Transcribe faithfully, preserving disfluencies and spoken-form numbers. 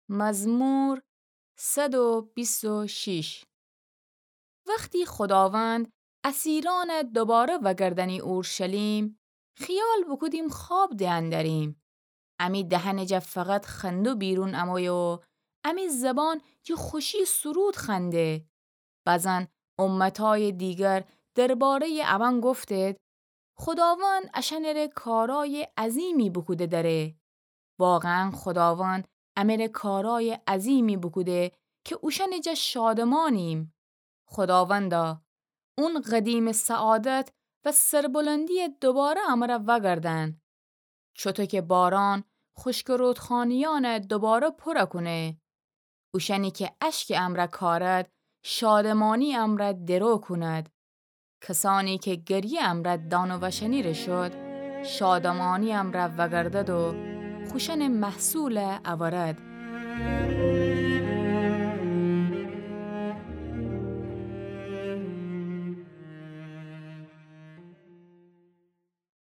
مزمور صد و بیست و شش. وختی خوداوند اسیرأنَ دوباره وأگردأنی اورشلیم، خیال بوکودیم خواب دئن دریم. امی دهنٚ جا فقط خنده بیرون امویه و امی زبان جٚه خوشی سرود خنده. بزن امتأیٚ دیگر درباره‌یٚ اون گفتید: خوداوند اشأنٚره کارأیٚ عظیمی بوکوده دره. واقعاً خوداوند امره کارأیٚ عظیمی بوکوده که اوشأنٚ جا شادمانیم. خوداوندا، اون قدیمٚ سعادت و سربلندیَ دوباره امره وأگردأن. چوطو که باران خشکٚ رودخانه‌یأنَ دوباره پورَ کونه، اوشأنی که اشکٚ امرأ کارد، شادمانی امرأ درو کوند. کسأنی که گریه امرأ دانه وشأنی ره شد، شادمانی امرأ وأگردد و خوشأنٚ محصولَ اورد.